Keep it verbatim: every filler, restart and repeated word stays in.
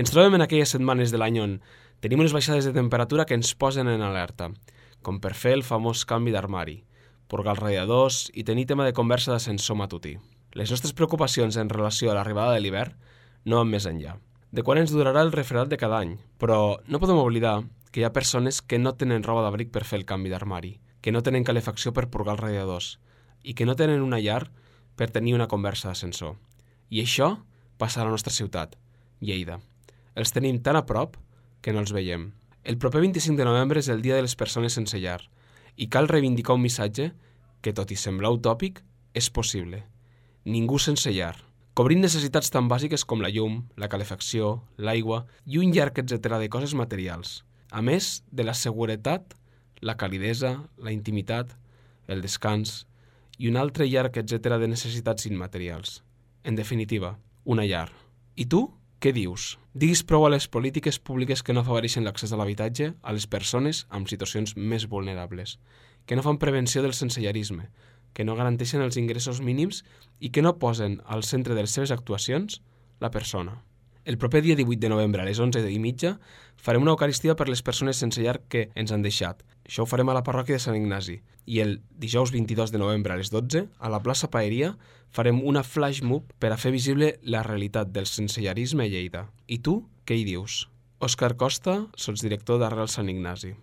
Ens trobem en aquelles setmanes de l'any on tenim unes baixades de temperatura que ens posen en alerta, com per fer el famós canvi d'armari, purgar els radiadors i tenir tema de conversa d'ascensor matutí. Les nostres preocupacions en relació a l'arribada de l'hivern no van més enllà. De quan ens durarà el refredat de cada any, però no podem oblidar que hi ha persones que no tenen roba d'abric per fer el canvi d'armari, que no tenen calefacció per purgar els radiadors i que no tenen una llar per tenir una conversa d'ascensor. I això passa a la nostra ciutat, Lleida. Els tenim tan a prop que no els veiem. El proper vint-i-cinc de novembre és el Dia de les Persones Sense Llar i cal reivindicar un missatge que, tot i semblar utòpic, és possible. Ningú sense llar. Cobrint necessitats tan bàsiques com la llum, la calefacció, l'aigua i un llarg etcètera de coses materials. A més de la seguretat, la calidesa, la intimitat, el descans i un altre llarg etcètera de necessitats immaterials. En definitiva, una llar. I tu? Què dius? Diguis prou a les polítiques públiques que no afavoreixen l'accés a l'habitatge a les persones amb situacions més vulnerables, que no fan prevenció del sensellarisme, que no garanteixen els ingressos mínims i que no posen al centre de les seves actuacions la persona. El proper dia divuit de novembre a les onze i mitja farem una eucaristia per les persones sense llar que ens han deixat. Això ho farem a la parròquia de Sant Ignasi. I el dijous vint-i-dos de novembre a les dotze, a la plaça Paeria, farem una flash mob per a fer visible la realitat del sensellarisme a Lleida. I tu, què hi dius? Òscar Costa, sotsdirector d'Arrel Sant Ignasi.